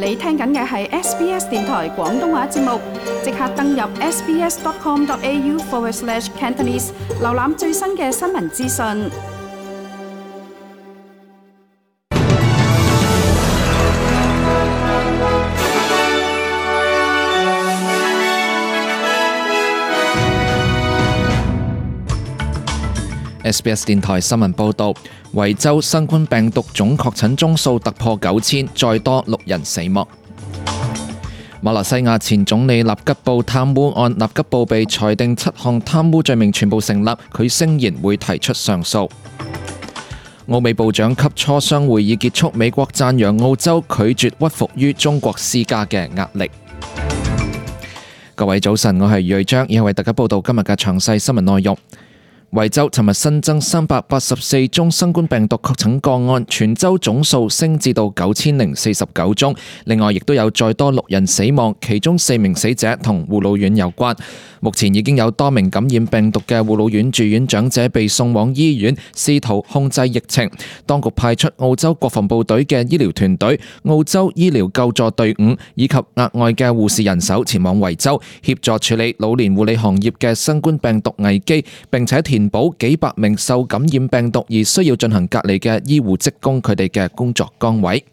你聽緊嘅係 SBS 電台廣東話節目，即刻登入 sbs.com.au/Cantonese 瀏覽最新嘅新聞資訊。SBS 電台新聞報導，維州新冠病毒總確診宗數突破9000，再多6人死亡。馬來西亞前總理納吉布貪污案，納吉布被裁定7項貪污罪名全部成立，佢聲言會提出上訴。澳美部長級磋商會議結束，美國讚揚澳洲拒絕屈服於中國施加嘅壓力。各位早晨，我係瑞章，以下為大家報道今日嘅詳細新聞內容。維州尋日新增384宗新冠病毒確診個案，全州總數升至到9049宗。另外，亦都有再多6人死亡，其中4名死者同護老院有關。目前已經有多名感染病毒嘅護老院住院長者被送往醫院，試圖控制疫情。當局派出澳洲國防部隊嘅醫療團隊、澳洲醫療救助隊伍以及額外嘅護士人手前往維州，協助處理老年護理行業嘅新冠病毒危機，並且填補幾百名受感染病毒而需要進行隔離嘅醫護職工佢哋嘅工作崗位。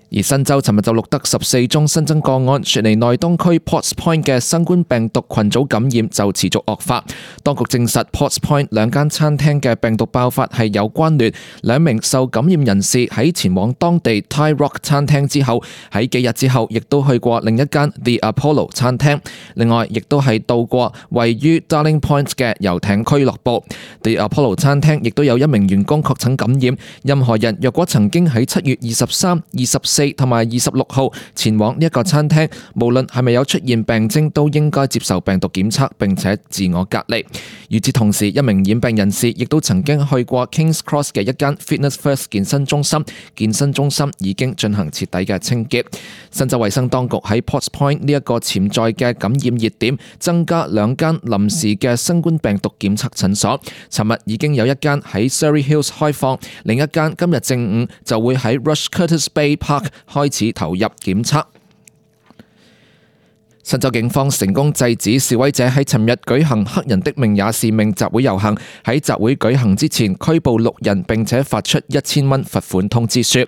而新州尋日就錄得14宗新增個案，雪梨內東區 Potts Point 嘅新冠病毒群組感染就持續惡化。當局證實 Potts Point 2間餐廳嘅病毒爆發係有關聯，2名受感染人士喺前往當地 Thai Rock 餐廳之後，喺幾日之後亦都去過另一間 The Apollo 餐廳。另外，亦都係到過位於 Darling Point 嘅遊艇俱樂部。The Apollo 餐廳亦都有1名員工確診感染。任何人若果曾經喺7月23、24同埋26號前往呢一個餐廳，無論係咪有出現病徵，都應該接受病毒檢測並且自我隔離。與此同時，1名染病人士亦都曾經去過 Kings Cross 嘅一間 Fitness First 健身中心，健身中心已經進行徹底嘅清潔。新州衛生當局喺 Potts Point 呢一個潛在嘅感染熱點，增加2間臨時嘅新冠病毒檢測診所。尋日已經有1間喺 Surrey Hills 開放，另一間今日正午就會喺 Rush Curtis Bay Park 開始投入檢測。新州警方成功制止示威者喺尋日舉行黑人的命也是命集會遊行，喺集會舉行之前拘捕6人，並且發出1000蚊罰款通知書。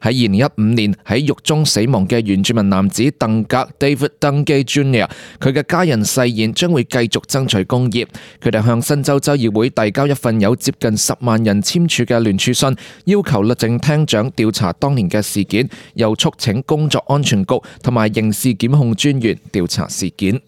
喺2015年喺獄中死亡嘅原住民男子鄧格 David Dungay Jr.， 佢嘅家人誓言將會繼續爭取公義。佢哋向新州州議會遞交一份有接近10萬人簽署嘅聯署信，要求律政廳長調查當年嘅事件，又促請工作安全局同埋刑事檢控專員調查事件。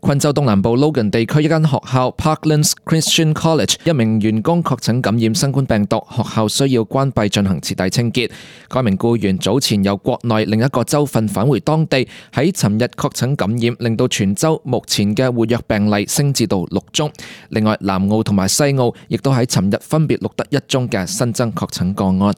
昆州東南部 Logan 地區一間學校 Parklands Christian College 1名員工確診感染新冠病毒，學校需要關閉進行徹底清潔。該名僱員早前由國內另一個州份返回當地，喺尋日確診感染，令到全州目前嘅活躍病例升至到6宗。另外，南澳同埋西澳亦都喺尋日分別錄得1宗嘅新增確診個案。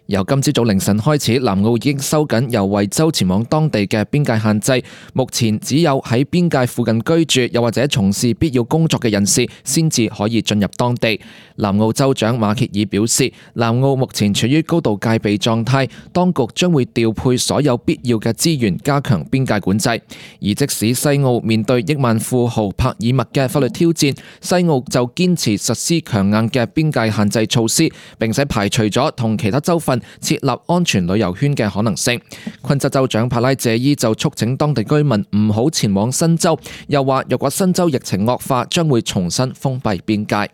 由今朝早凌晨開始，南澳已經收緊由維州前往當地嘅邊界限制，目前只有喺邊界附近居住又或者從事必要工作嘅人士先至可以進入當地。南澳州長馬歇爾表示，南澳目前處於高度戒備狀態，當局將會調配所有必要嘅資源加強邊界管制。而即使西澳面對億萬富豪帕爾默嘅法律挑戰，西澳就堅持實施強硬嘅邊界限制措施，並且排除咗同其他州份設立安全旅遊圈嘅可能性。昆州州長帕拉謝伊就促請當地居民唔好前往新州，又話若果新州疫情惡化，將會重新封閉邊界。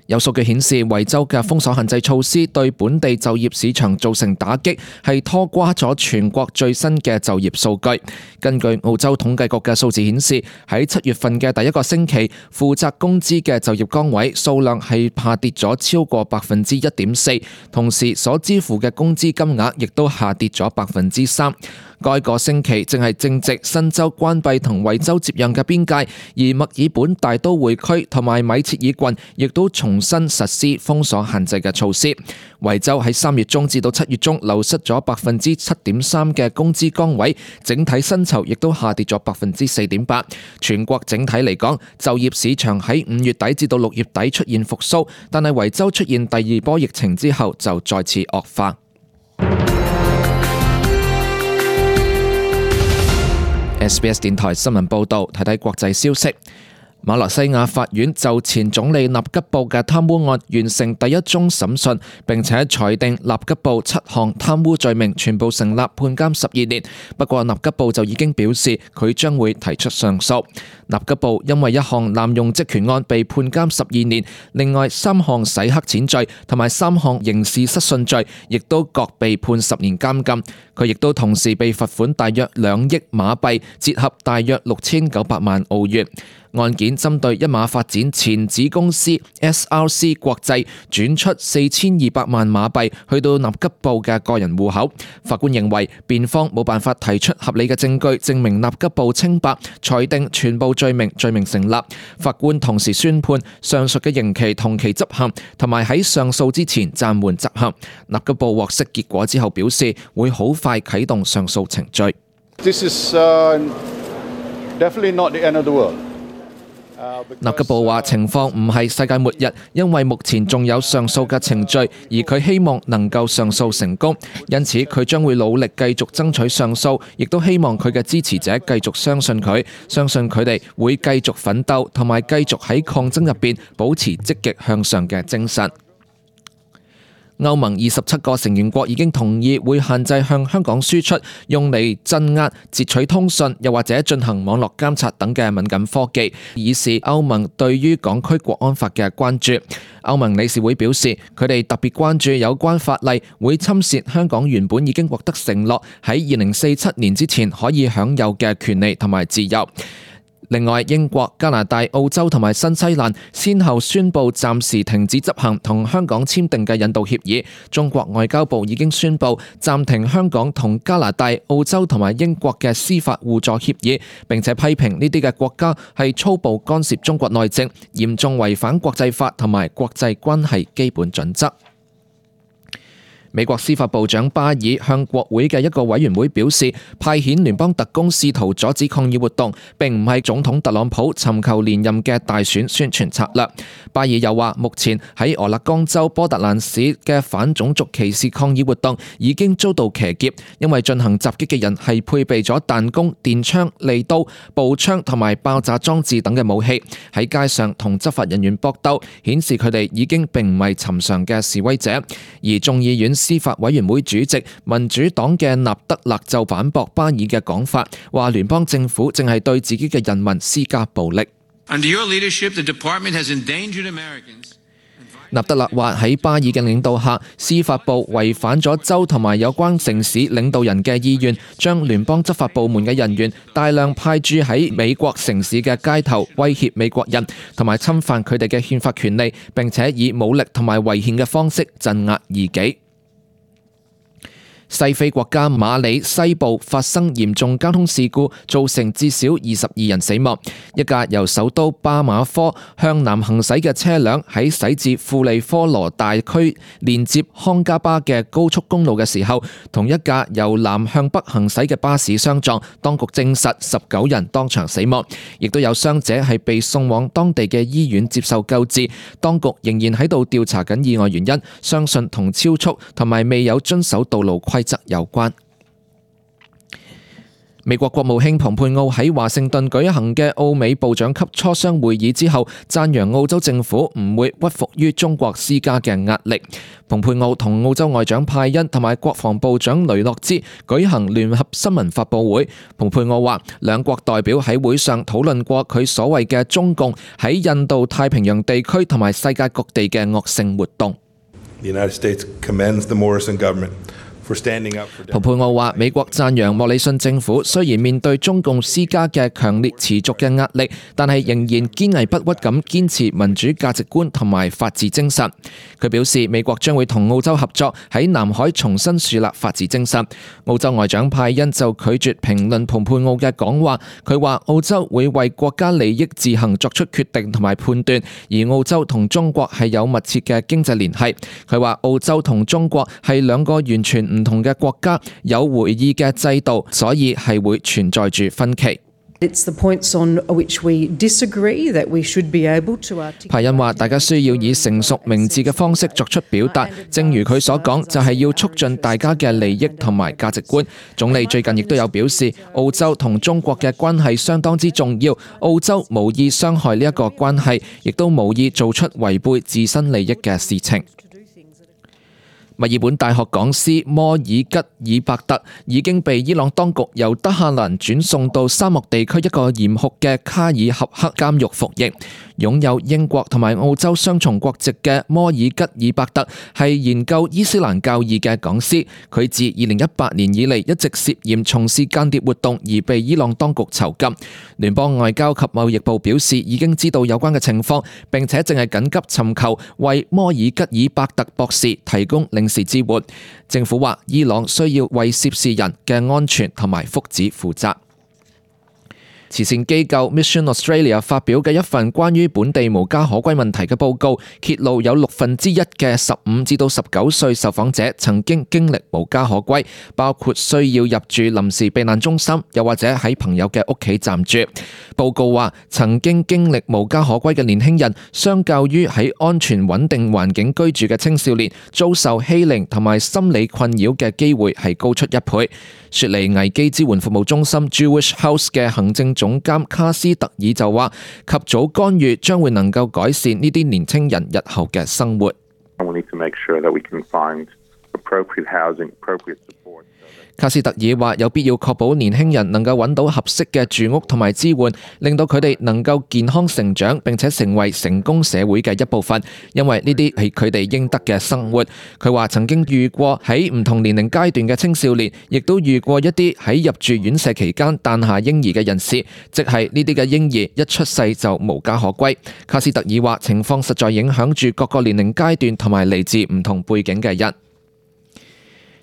有數據顯示，維州嘅封鎖限制措施對本地就業市場造成打擊，係拖垮咗全國最新嘅就業數據。根據澳洲統計局嘅數字顯示，喺7月份嘅第一個星期，負責工資嘅就業崗位數量係下跌咗超過1.4%，同時所支付嘅工資金額亦都下跌咗3%。該個星期正值新州關閉同維州接壤嘅邊界，而墨爾本大都會區同埋米切爾郡亦都重新實施封鎖限制嘅措施。維州喺3月中至到7月中流失咗7.3%嘅工資崗位，整體薪酬亦都下跌咗4.8%。全國整體嚟講，就業市場喺5月底至到6月底出現復甦，但係維州出現第2波疫情之後就再次惡化。SBS 電台新聞報導，睇睇國際消息。馬來西亞法院就前總理納吉布嘅貪污案完成第1宗審訊，並且裁定納吉布7項貪污罪名全部成立，判監12年。不過納吉布就已經表示佢將會提出上訴。納吉布因為1項濫用職權案被判監12年，另外3項洗黑錢罪同埋3項刑事失信罪亦都各被判10年監禁。佢亦都同時被罰款大約2億馬幣，折合大約6900萬澳元。案件針對一馬發展前子公司 SRC 國際轉出4200萬馬幣去到納吉布嘅個人戶口。法官認為辯方冇辦法提出合理嘅證據證明納吉布清白，裁定全部罪名成立。法官同時宣判上述嘅刑期同期執行，同埋喺上訴之前暫緩執行。納吉布獲釋結果之後表示會好快啟動上訴程序。This is definitely not the end of the world. 納吉布話情況唔係世界末日，因為目前仲有上訴嘅程序，而佢希望能夠上訴成功，因此佢將會努力繼續爭取上訴，亦都希望佢嘅支持者繼續相信佢，相信佢哋會繼續奮鬥，同埋繼續喺抗爭入邊保持積極向上嘅精神。歐盟27個成員國已經同意會限制向香港輸出用嚟鎮壓、截取通訊，又或者進行網絡監察等嘅敏感科技，以示歐盟對於港區國安法嘅關注。歐盟理事會表示，佢哋特別關注有關法例會侵蝕香港原本已經獲得承諾喺2047年之前可以享有嘅權利同埋自由。另外，英國、加拿大、澳洲同埋新西蘭先後宣布暫時停止執行同香港簽訂嘅引渡協議。中國外交部已經宣布暫停香港同加拿大、澳洲同埋英國嘅司法互助協議，並且批評呢啲嘅國家係粗暴干涉中國內政，嚴重違反國際法同埋國際關係基本準則。美國司法部長巴爾向國會嘅一個委員會表示，派遣聯邦特工試圖阻止抗議活動，並唔係總統特朗普尋求連任嘅大選宣傳策略。巴爾又話，目前喺俄勒岡州波特蘭市嘅反種族歧視抗議活動已經遭到騎劫，因為進行襲擊嘅人係配備咗彈弓、電槍、利刀、步槍同埋爆炸裝置等嘅武器，喺街上同執法人員搏鬥，顯示佢哋已經並唔係尋常嘅示威者。而眾議院司法委員會主席民主黨嘅納德勒就反駁巴爾嘅講法，話聯邦政府正係對自己嘅人民施加暴力。納德勒話喺巴爾嘅領導下，司法部違反咗州同埋有關城市領導人嘅意願，將聯邦執法部門嘅人員大量派駐喺美國城市嘅街頭，威脅美國人，同埋侵犯佢哋嘅憲法權利，並且以武力同埋違憲嘅方式鎮壓異己。西非國家馬里西部發生嚴重交通事故，造成至少22人死亡。一架由首都巴馬科向南行駛嘅車輛喺駛至庫利科羅大區連接康加巴嘅高速公路嘅時候，同一架由南向北行駛嘅巴士相撞。當局證實19人當場死亡，亦都有傷者係被送往當地嘅醫院接受救治。當局仍然喺度調查緊意外原因，相信同超速同埋未有遵守道路規則有關。美國國務卿蓬佩奧喺華盛頓舉行嘅澳美部長級磋商會議之後，讚揚澳洲政府唔會屈服於中國施加嘅壓力。蓬佩奧同澳洲外長派恩同埋國防部長雷諾茲舉行聯合新聞發佈會。蓬佩奧話，兩國代表喺會上討論過佢所謂嘅中共喺印度太平洋地區同埋世界各地嘅惡性活動。The United States commends the Morrison government 蓬佩奧話：美國讚揚莫里遜政府雖然面對中共施加嘅強烈持續嘅壓力，但係仍然堅毅不屈咁堅持民主價值觀同埋法治精神。佢表示，美國將會同澳洲合作喺南海重新樹立法治精神。澳洲外長派恩就拒絕評論蓬佩奧嘅講話，佢話澳洲會為國家利益自行作出決定同埋判斷，而澳洲同中國係有密切嘅經濟聯繫。佢話澳洲同中國係兩個完全唔同嘅國家，有會議嘅制度，所以係會存在住分歧。派恩話：大家需要以成熟明智嘅方式作出表達，正如佢所講，就係要促進大家嘅利益同埋價值觀。總理最近亦都有表示，澳洲同中國嘅關係相當之重要，澳洲無意傷害呢一個關係，亦都無意做出違背自身利益嘅事情。墨爾本大學講師摩爾吉爾伯特已經被伊朗當局由德黑蘭轉送到沙漠地區一個嚴酷嘅卡爾合克監獄服役。擁有英國同埋澳洲雙重國籍嘅摩爾吉爾伯特係研究伊斯蘭教義嘅講師，佢自2018年以嚟一直涉嫌從事間諜活動而被伊朗當局囚禁。聯邦外交及貿易部表示已經知道有關嘅情況，並且正係緊急尋求為摩爾吉爾伯特博士提供領事支援。政府話伊朗需要為涉事人嘅安全同埋福祉負責。慈善機構 Mission Australia 發表嘅一份關於本地無家可歸問題嘅報告，揭露有1/6嘅15至到19歲受訪者曾經經歷無家可歸，包括需要入住臨時避難中心，又或者喺朋友嘅屋企暫住。報告話，曾經經歷無家可歸嘅年輕人，相較於喺安全穩定環境居住嘅青少年，遭受欺凌同埋心理困擾嘅機會係高出1倍。雪梨危機支援服務中心 Jewish House 嘅行政總監卡斯特爾就話，及早干預將會能夠改善呢啲年輕人日後嘅生活。卡斯特爾話，有必要確保年輕人能夠揾到合適嘅住屋同埋支援，令到佢哋能夠健康成長，並且成為成功社會嘅一部分，因為呢啲係佢哋應得嘅生活。佢話曾經遇過喺唔同年齡階段嘅青少年，亦都遇過一啲喺入住院舍期間誕下嬰兒嘅人士，即係呢啲嘅嬰兒一出世就無家可歸。卡斯特爾話，情況實在影響住各個年齡階段同埋嚟自唔同背景嘅人。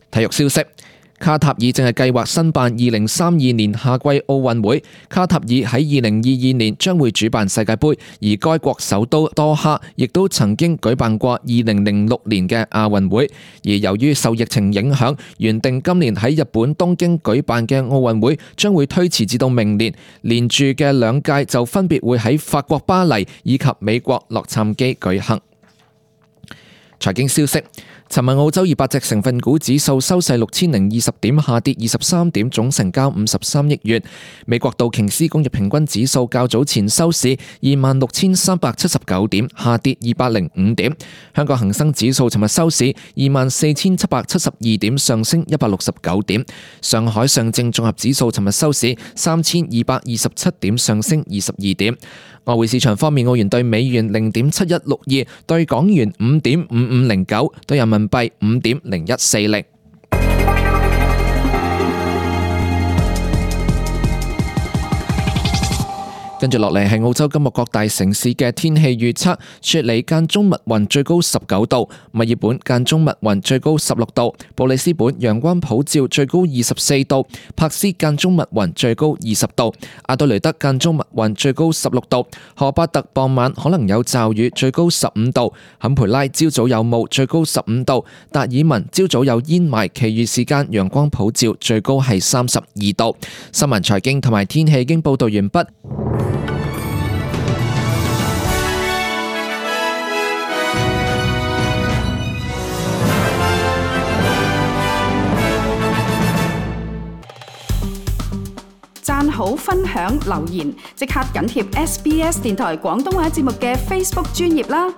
體育消息，卡塔爾正係計劃申辦2032年夏季奧運會。卡塔爾喺2022年將會主辦世界盃，而該國首都多哈亦都曾經舉辦過2006年嘅亞運會。而由於受疫情影響，原定今年喺日本東京舉辦嘅奧運會將會推遲至到明年，連住嘅2屆就分別會喺法國巴黎以及美國洛杉磯舉行。財經消息，尋日澳洲200隻成分股指數收市6020點，下跌23點，總成交53億元。美國道瓊斯工業平均指數較早前收市26,379點，下跌205點。香港恒生指數尋日收市24,772點，上升169點。上海上證綜合指數尋日收市3227點，上升22點。外匯市場方面，澳元對美元0.7162，對港元5.5509，對人民幣5.0140。跟住落嚟係澳洲今日各大城市嘅天氣預測：雪梨間中密雲，最高19度；墨爾本間中密雲，最高16度；布里斯本陽光普照，最高24度；珀斯間中密雲，最高20度；阿德雷德間中密雲，最高16度；荷巴特傍晚可能有驟雨，最高15度；坎培拉朝早有霧，最高15度；達爾文朝早有煙霾，其餘時間陽光普照，最高係32度。新聞、財經同埋天氣已經報道完畢。讚好、分享、留言，即刻緊貼SBS 電台廣東話節目嘅 Facebook 專頁啦！